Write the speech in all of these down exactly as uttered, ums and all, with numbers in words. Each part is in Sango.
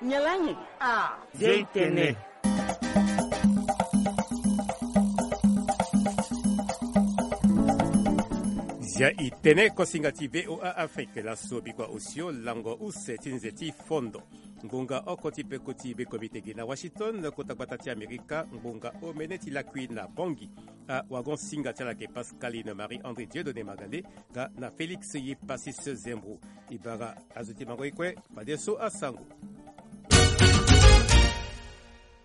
Nyalangi. Ah, Zia i tene. Zia i tene, kosinga ti V O A Afrique. Laso bikua osio lango use ti nze ti fondo. Ngbonga oko ti peko ti bekomite gi na Washington, kota gbata ti Amerika, ngbonga omene ti lakui na Bangui. Awagon-singa ti ala ayeke Pascaline Marie André Dieudonné Magale, nga na Félix Yepasis Zembro. E bara azo ti mango e kue, fadeso asango.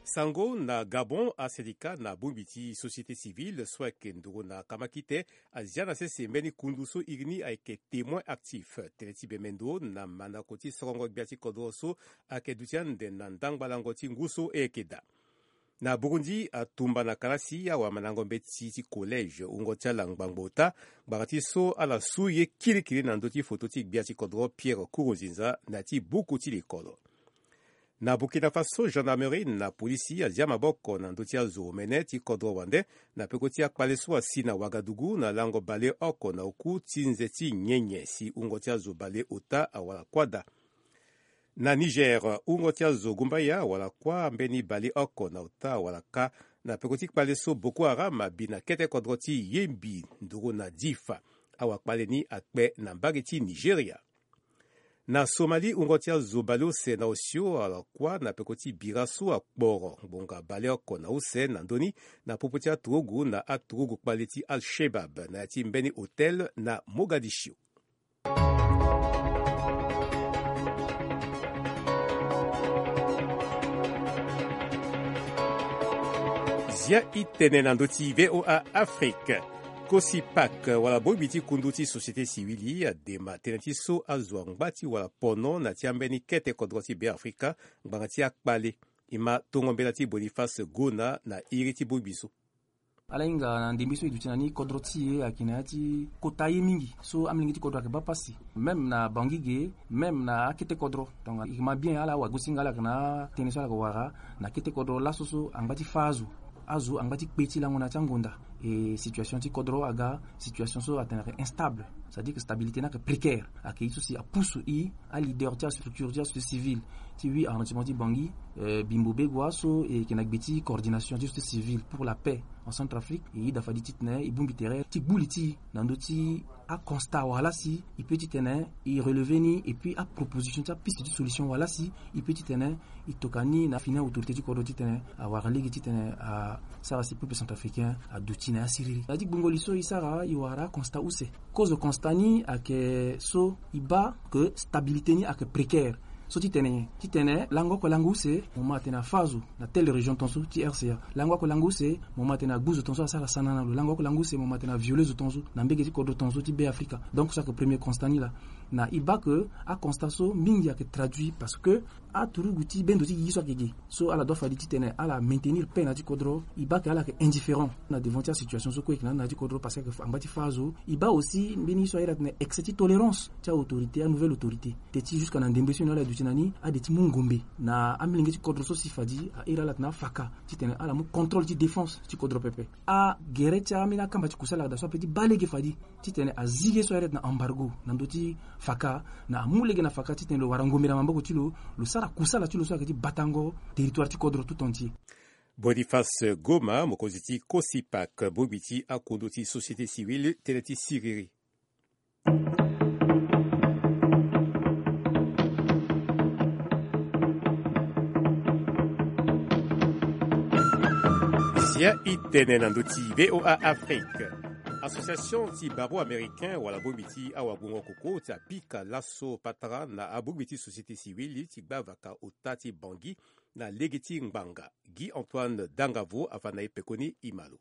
Sango na Gabon, asendika na bongbi ti société civile so ayeke nduru na kamakite azia na sese mbeni kundu so iri ni ayeke Témoin actif. Tënë ti bemendo na mandako ti sorongo gbia ti kodro so ayeke duti ande na ndangbalango ti ngu so e yeke daa. Na Burundi, atumba na kalasi awamandango mbeti ti collège wungo ti ala ngbangbo ota, ngbanga ti so ala su ye kirikiri na ndö ti foto ti gbia ti kodro Pierre Nkurunziza na ya ti buku ti lekolo. Na Burkina Faso, gendarmerie na polisi azia maboko na ndö ti azo omene ti kodro wande na peko ti akpale so asi na Ouagadougou na lango baleoko na oku ti nze ti nyenye si wungo ti azo baleota awara kua daa. Na Niger, wungo ti azo gumbaya awara kua mbeni baleoko na ota awara kâ na peko ti kpale so Boko Haram abi na kete kodro ti Yembi nduru na Difa. Awakpale ni akpe na mbage ti Nigeria. Na Somalie, wungo ti azo baleuse na osio awara kua na peko ti bira so akporo ngbonga baleoko na use na ndö ni na popo ti aturugu na aturugu kpale ti Al-Shebab na ya ti mbeni hôtel na Mogadiscio. Zia i tene na ndö ti V O A Afrique. Kosi Pak wala bongbi ti kundu ti société civile adema tënë ti so azo angba ti wara pono na ti ambeni kete kodro ti Beafrika ngbanga ti akpale. E ma tongo mbela ti Boniface Gona na iri ti bongbi so. Ala hinga na ndembe so e duti na ni kodro ti e ayeke na ya ti kota ye mingi so amolenge ti kodro ayeke baa pasi. Même na Bangui ge, même na akete kodro. Donc e ma bien ala wagosinga ala yeke na atënë so ala yeke wara na kete kodro laso so angba ti fâ azo. Azo angba ti kpe ti lango na ya ti angonda. E situation ti kodro aga situation so atene ayeke instable. C'est-à-dire que stabilité ni ayeke précaire. Ayeke ye so si apusu e aleader ti astructure ti asociété civile ti huit arrondissement ti Bangui, eh, Bimbo Begua so e yeke na gbe ti coordination ti société civile pour la paix en Centrafrique, e yeda fade titene e bongbi tere ti gbu li ti e na ndö ti aconstat wala si e peut titene e relever ni, et puis aproposition ti apiste ti solution wala si e peut titene e toka ni na fini autorité ti kodro titene awara lege titene asara si peuple centrafricain aduti na ya siriri. Na ya ti gbungo li so e sara e wara aconstat use. Kozo constat ni ayeke so e baa que stabilité ni ayeke précaire. So ti tene nyen? Ti tene lango oko lango use mo ma tene afâ zo na telle région tongaso ti R C A. Lango oko lango use mo ma tene agbu zo tongaso asara sana na lo. Lango oko lango use mo ma tene aviole zo tongaso na mbege ti kodro tongaso ti Beafrika. Donc so ayeke premier constat ni laa. Na e baa que aconstat so mingi ayeke traduit parce que aturugu ti bendo ti gigi so ayeke ge so ala doit fade titene ala maintenir paix na ya ti kodro, e baa que ala yeke indifférent na devant ti asituation so kue e yeke na ni na ya ti kodro parce que ayeke angba ti fâ azo. E baa aussi mbeni ye so ayeda titene excès ti tolérance ti aautorité, anouvelle autorité. Te ti jusqu'à na ndembe so e na ala duti na ni ade ti mu ngombe na amolenge ti kodro so si fade ahere ala tene afaka titene ala mu contrôle ti défense ti kodro pepe. Agere ti ambeni akamba ti kusala daa so ape ti baa lege fade titene azi ye so ayeda titene embargo na ndö ti faka, na amu lege na faka titene lo wara ngombe na maboko ti lo, lo sara kusala ti lo so ayeke ti batango territoire ti kodro tout entier. Boniface Goma, mokonzi ti Kosipak, bongbi ti akondo ti société civile, tënë ti siriri. Zia i tene na ndö ti V O A Afrique. Association ti barreau américain wala bongbi ti awagbongo koko ti apika laso patara na abongbi ti société civile ti gbavaka ota ti Bangui na lege ti ngbanga. Guy Antoine Dangavo afa na e pekoni e ma lo.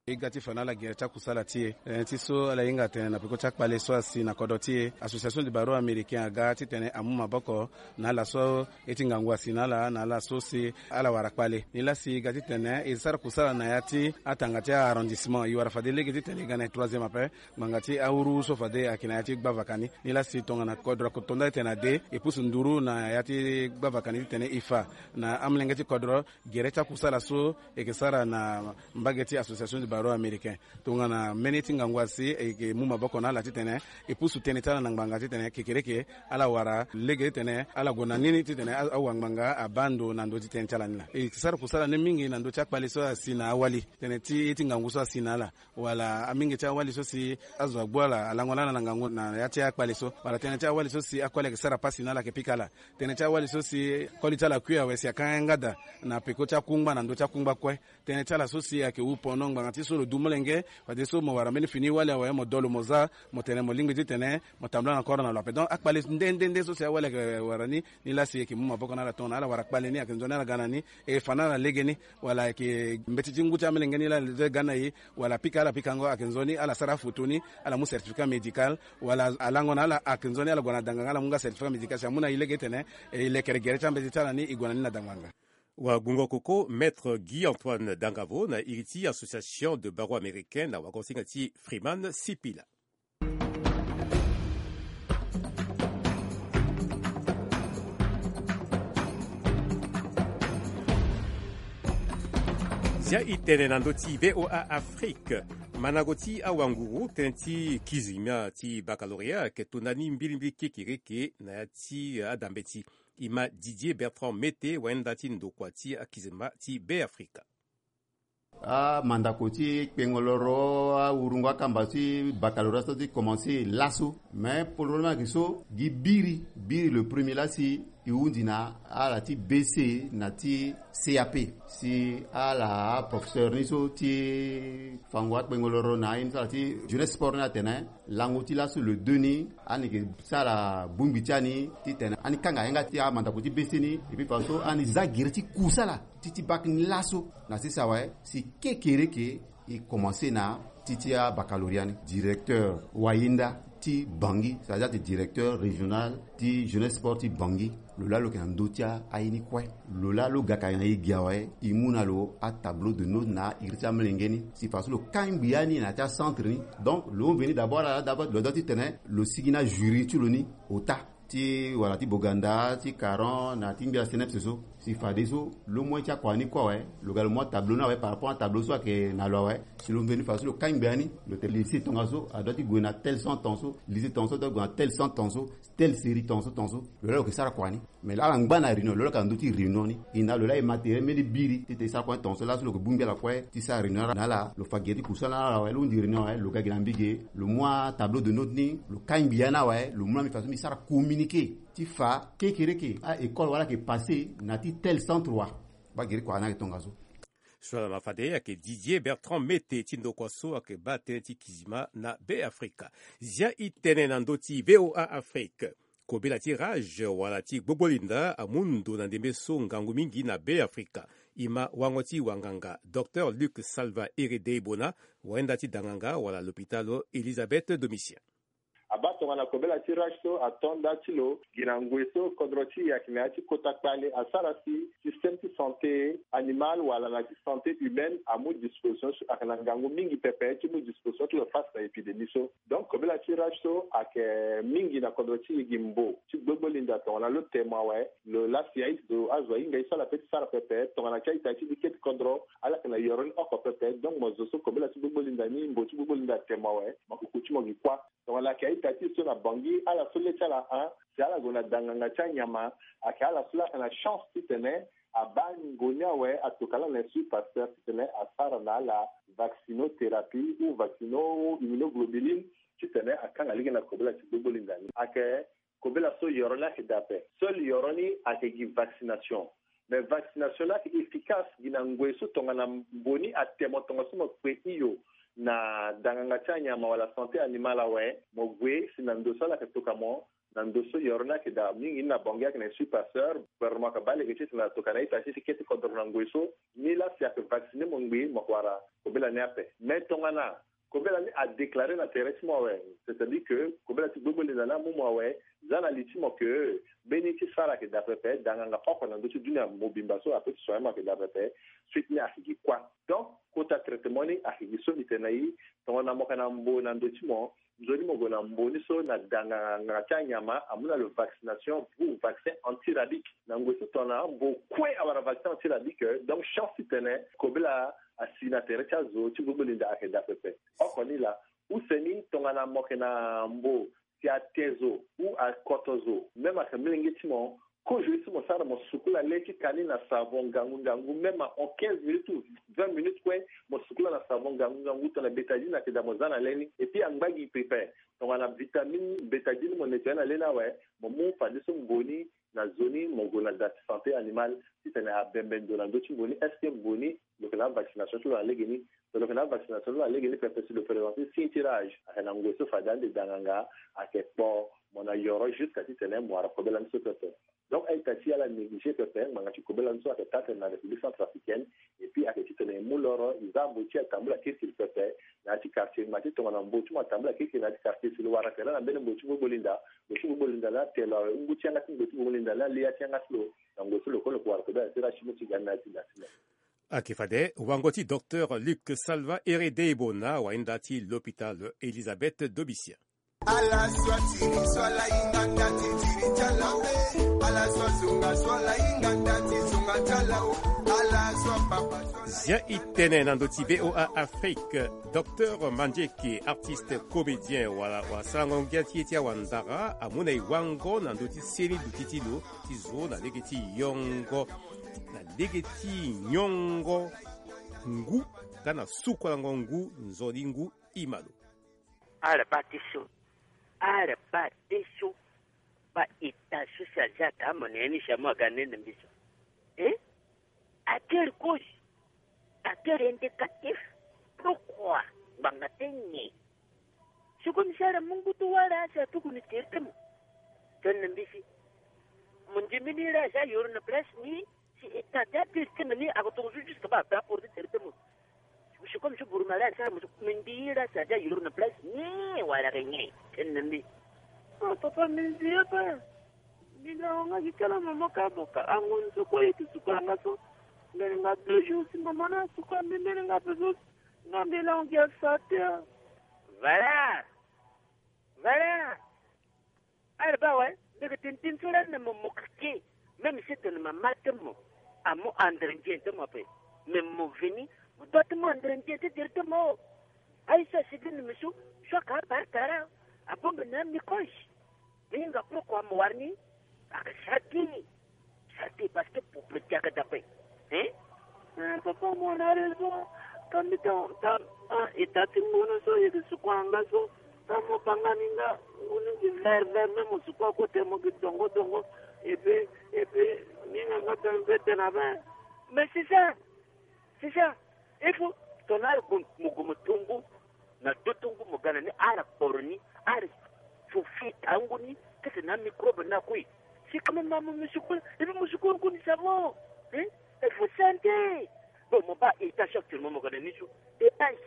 E ga ti fa na ala gere ti akusala ti e, eh, ti so ala hinga atene na peko ti akpale so asi na kodro ti e, Association du Barreau Américain aga titene amu maboko na ala so e ti ngangu asi na ala, na ala so si ala wara kpale. Nilaa si e ga titene e sara kusala na ya ti atanga ti a-arrondissement, e wara fade lege titene e ga na e troisième ape, ngbanga ti awuru so fade ayeke na ya ti gbavaka ni. Nilaa si tongana kodro ako to nda titene ade, e pusu nduru na ya ti gbavaka ni titene e fa na amolenge ti kodro gere ti akusala so e yeke sara na mbage ti Association du Baro américain. Tongana mbeni ti ngangu asi e yeke mu maboko na ala titene e pusu tënë ti ala na ngbanga titene kekereke ala wara lege titene ala gue na nini titene awa ngbanga abaa ndo na ndö ti tënë ti ala ni laa. E yeke sara kusala ni mingi na ndö ti akpale so asi na awali tënë ti ye ti ngangu so asi na ala, wala amingi ti awali so si azo agbu ala alango na ala na ngangu na ya ti akpale so, wala tënë ti awali so si akoli ayeke sara pasi na ala ayeke pika ala. Tënë ti awali so si koli ti ala akui awe si akanga yanga daa na peko ti akungba na ndö ti akungba kue. Tënë ti ala so si ayeke wu pono ngbanga ti so lo du molenge. Fadeso mo wara mbeni fini wali awe mo dolo mo za mo tene mo lingbi titene mo tambula na koro na lo ape. Donc akpale nde nde nde so si awali ayeke wara ni, ni laa si e yeke mu maboko na ala tongana ala wara kpale ni ayeke nzoni ala ga na ni. E fa na ala legeni, wala ayeke mbeti ti ngu ti amelenge ni laa ala ga na e, wala pika ala pikango ayeke nzoni ala sara afoto ni, ala mu certificat médical, wala alango na ala ayeke nzoni ala gue na danganga ala mu nga certificat médical si amu na e lege titene e lekere gere ti ambeti ti ala ni e gue na ni na danganga. Wagungo koko, Maître Guy Antoine Dangavo na iri ti Association de Barreaux Américains na wagosinga ti Freeman Sipila. Zia e tene na ndö ti V O A Afrique. Mandango ti awanguru tënë ti kizima ti baccalauréat ayeke to ndani mbilimbili kekereke na ya ti adambeti. E ma Didier Bertrand Mete, wayenda ti ndokua ti akizima ti Beafrika. Amandako ti kpengoloro awurungo akamba ti baccalauréat so ti commencé laso. Mais problème ayeke so gi biri, biri le premier laa si e hundi na ala ti B C na ti C A P. Si ala aprofesseur ni so ti fango akpengoloro na aye ni so ala ti jeunesse sport ni atene lango ti laso le deux ni ani yeke sara bongbi ti ani titene ani kanga yanga ti amandako ti B C ni. Epui faso ani za gere ti kusala ti ti bac ni laso. Na sese awe si kekereke e commencé na ti ti abaccalauréat ni. Directeur wayenda ti Bangui, c'est-à-dire directeur régional ti jeunesse sport ti Bangui, lo laa lo yeke na ndö ti aye ni kue. Lo laa lo ga ka na e gi awe, e mu na lo atableau de note na iri ti amelenge ni si faso lo kangbi ya ni na ya ti acentre ni. Donc lo veni d'abord ala d'abord lo dua titene lo sigi na jury ti lo ni ota ti wala ti Boganda, ti Caron na ti ngbia CNEPS so. Si fadeso lo mu ye ti akua ni kue awe, lo ga lo mu atableau ni awe par rapport atableau so ayeke na lo awe. Si lo veni faso lo kangbi ya ni, lo tene lycée tongaso adua ti gue na tel cent tongaso, lycée tongaso adua ti gue na tel cent tongaso, tel série tongaso tongaso. Lo laa lo yeke sara kua ni. Mais ala ngba na réunion, lo laa ka ndö ti réunion ni. E na lo laa e ma tere mbeni biri titene e sara kue tongaso laso lo yeke bongbi ala kue ti sara réunion na ala. Lo fa gere ti kusala na ala awe, lo hundi réunion awe, lo ga gi na mbi ge, lo mu atableau de note ni, lo kangbi ya ni awe, lo mu na mbi faso mbi sara communiqué ti fa kekereke a école wala ayeke passé na ti tel centre wa. Baa gere kua ni ayeke tongaso. So ala ma fade ayeke Didier Bertrand Mete ti ndokua so ayeke baa tënë ti kizima na Beafrika. Zia e tene na ndö ti V O A Afrique. Kobela ti rage wala ti gbogbolinda amu ndo na ndembe so ngangu mingi na Beafrika. E ma wango ti wanganga Docteur Luc Salva Ere Deibona, wayenda ti danganga wala lopitalo Elisabeth Domitien. Abaa tongana kobela ti rage so ato nda ti lo gi na ngoi so kodro ti e ayeke na ya ti kota kpale asara si système ti santé animal wala na ti santé humaine amu disposition so ayeke na ngangu mingi pepe ti mu disposition ti lo face na épidémie so. Donc kobela ti rage so ayeke mingi na kodro ti e gi mbo ti gbogbolinda tongana lo temo awe, lo lasi azo ahinga ye so ala pe ti sara pepe tongana ti a-ita ti li kete kodro ala yeke na yoro ni oko pepe. Donc mo zo so kobela ti gbogbolinda ni mbo ti gbogbolinda atemo awe, mo kuku ti mo gi kuâ. Tongana ayeke a-ita ti e so na Bangui ala so le ti ala ahun si ala gue na danganga ti anyama, ayeke ala so laa ayeke na chance titene abaa ngboni awe atoka laa na Institut Pasteur titene asara na ala vaccinothérapie ou vaccino immunoglobuline titene akanga lege na kobela ti gbogbolinda ni. Ayeke kobela so yoro ni ayeke daa ape. Seul yoro ni ayeke gi vaccination. Mais vaccination ni ayeke efficace gi na ngoi so tongana mbo ni atemo tongaso mo kpe hio na danganga ti anyama wala santé animal awe, mo gue si na ndo so ala yeke toka mo na ndo so yoro ni ayeke daa mingi ni na Bangui ayeke na Institut Pasteur. Gouvernement ayeke baa lege titene atoka na ita ti ti kete kodro na ngoi so. Ni laa si ayeke vacciner mo ngbii mo yeke wara kobela ni ape. Mais tongana kobela ni adéclaré na tere ti mo awe, c'est-à-dire que kobela ti gbogbolinda ni amu mo awe, za na li ti mo ke mbeni ti sara ayeke daa pepe, danganga oko na ndö ti dunia mobimba so ape ti soigner mo ayeke daa pepe. Suite ni ayeke gi kuâ. Donc kota traitement ni ayeke gi so mbi tene na e. Tongana mo yeke na mbo na ndö ti mo, nzoni mo gue na mbo ni so na danganga ti anyama amu na lo vaccination ou vaccin antirabique. Na ngoi so tongana mbo kue awara vaccin antirabique, donc chance titene kobela asi na tere ti azo ti gbogboli nda ayeke daa pepe. Oko ni laa, use ni tongana mo yeke na mbo si ate zo ou akoto zo, même ayeke molenge ti mo, kozo ye so mo sara, mo sukula le ti ka ni na savon ngangu ngangu, même en quinze minutes ou vingt minutes kue, mo sukula na savon ngangu ngangu tongana bétadine ayeke daa, mo za na le ni. Et puis angba gi pepe, tongana vitamine bétadine mo nettoyer na le ni awe, mo mu fadeso mbo ni na zo ni, mo gue na da ti santé animale titene abembe ndo na ndö ti mbo ni. Est-ce que mbo ni lo yeke na avaccination ti lo na legeni? So lo yeke na avaccination ti lo na legeni pepe, si lo présenter signe ti rage, ayeke na ngoi so fade ande danganga ayeke kpo mo na yoro jusqu'à titene mo wara kobela ni so pepe. Donc a-ita ti ala négliger pepe ngbanga ti kobela ni so ayeke taa tene na République centrafricaine. Et puis ayeke titene e mu loro, e za mbo ti e atambula kirikiri pepe na ya ti quartier, ma ti tongana mbo ti mo atambula kirikiri na ya ti quartier, si lo wara tere na mbeni mbo ti gbogboli nda, mbo ti gbogboli nda ni ate lo awe, ngu ti yanga ti mbo ti gbogboli nda ni ali ya ti yanga ti lo na ngoi so lo kue lo yeke wara kobela ti rage ti mo ti ga ni na ya ti da ti lo. Ayeke fade wango ti docteur Luc Salva Ere Deibo na wainda ti l'hôpital Elisabeth Dobissia. Ala so atiri so ala hinga nda ti tiri ti ala we. Ala so azonga so ala hinga nda ti zonga ti ala o. Ala so apapa so ala... Zia e tene na ndö ti V O A Afrique, docteur Mandieke, artiste comédien wala wasarango ngia ti ye ti awandara, amu na e wango na ndö ti seni duti ti lo ti zo na lege ti yongo, na lege ti nyongo ngu, nga na sukualango ngu nzoni ngu. Imalo. Ala baa ti so, ala baa ti so, baa ita so si azia taa mo na ya ni si amu aga nde na mbi so. Eh? À quelle cause? À quel indicatif? Pourquoi? Ngbanga ti nyen? Sikoyo mi si ala mu ngu ti wâ laa si atuku ni tere ti mo. Tene na mbi si mo ndimi ni laa si ayoro na place ni. Si e ta ti apiri ti tene ni ako tongo so jusque baa ape aporte tere ti mo. Sikoyo mi so buru ma laa si ala mo so mi ndi ye laa si adia yoro na place ni wala ke nyen? Tene na mbi. Ah, papa, mi ndi ye ape. Mbi na hon nga gi kala mama ka mo ka ango ni so kue ye ti suka nga so. Mbeni nga deux jours si mama ni asuka mbi mbeni nga ape so. Nga mbi la hon gi asa te. Voilà. Voilà. Ala baa awe, mbi yeke tene tënë so lani na mo, mo keke. Même si tene mama ti mo amu andrendien ti mo ape, mais mo veni, mo doit ti mu andrendien ti tere ti mo. Aye so asigi na mbi so, so aka abare tara, abongbi na amicroche. Mbi hinga pourquoi mo wara ni? Aka saki. Saki parce que pour petit aka dape. Hein? Eh, papa, mo na raison. Ka mbi ta, ta, ah, e ta ti ngunu so, e yeke suku anga so. Ta mo banga ni nga, ngunu gi vert vert, même mo suku akote mo gi dongo dongo. Et puis, et puis, ni nga nga tene mpe tene abe. Mais c'est ça. C'est ça. Il faut, tongana ala gue mo, gue mo tongo, na do tongo mo ga na ni, ala kporo ni, ala sofi tango ni, kete na microbe na kue. Si kama mama mo suku, et puis mo suku ngu ni savon. Hein? Il faut santé. Bon, mo baa état actuellement mo ga na ni so. Et aïe.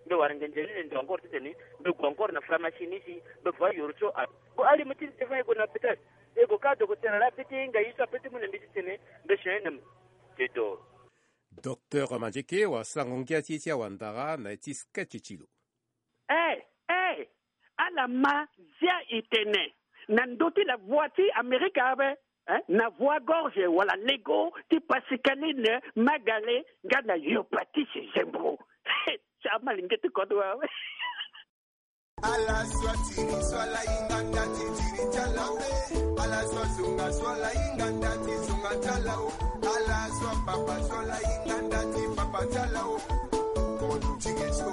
Mbe wara ngenze ni ndo encore titene, mbe gue encore na pharmacie ni si, mbe voie yoro so, ah. Bon, allez, mo ti ni te fa e gue na hôpital. E gue ka docteur la pete, nga ye so apete mo na mbi titene, mbe soin na mo. C'est tout. Docteur Mandieke wasarango ngia ti ye ti awandara na ya ti sketch ti lo. Eh, eh, ala ma zia e tene na ndö ti la voix ti Amerika abe, eh, na voix gorge wala lego ti Pascaline Magale nga na Yopatis Zembro. Ti amalenge ti kodro awe. Ala so atiri so ala hinga nda ti tiri ti ala o. Ala so azonga so ala hinga nda ti zonga ti ala o. Ala so apapa so ala hinga nda ti papa ti ala o. Mo duti ge so,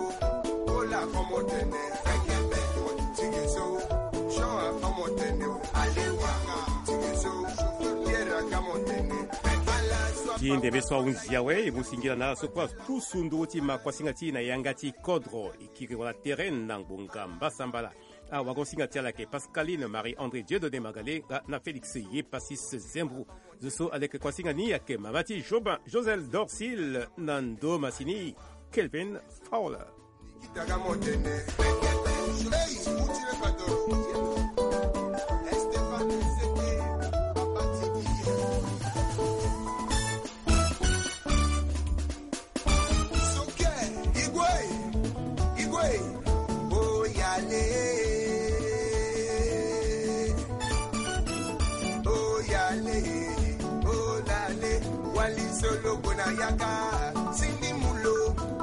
Paul ako mo tene. Mo duti ge so, Jean ako mo tene o. Ale wanga duti ge so, Pierre aka mo tene. Ala so... Ti ndembe so ahunzi awe, e mu singila na ala so kue atusu nduru ti ma kuasinga ti e na yanga ti kodro. Kiri wala tere na ngbonga mbasambala. Awagosinga ti ala ayeke Pascaline Marie André Dieudonné Magale nga na Félix Yepasis Zembro. Zo so aleke kuasinga ni ayeke mama ti Josel Dorsil na ndo masini Kelvin Fowler. Soke, igwe, igwe, oyale, oyale, olale, wali solo gona yaka, sindi mulo.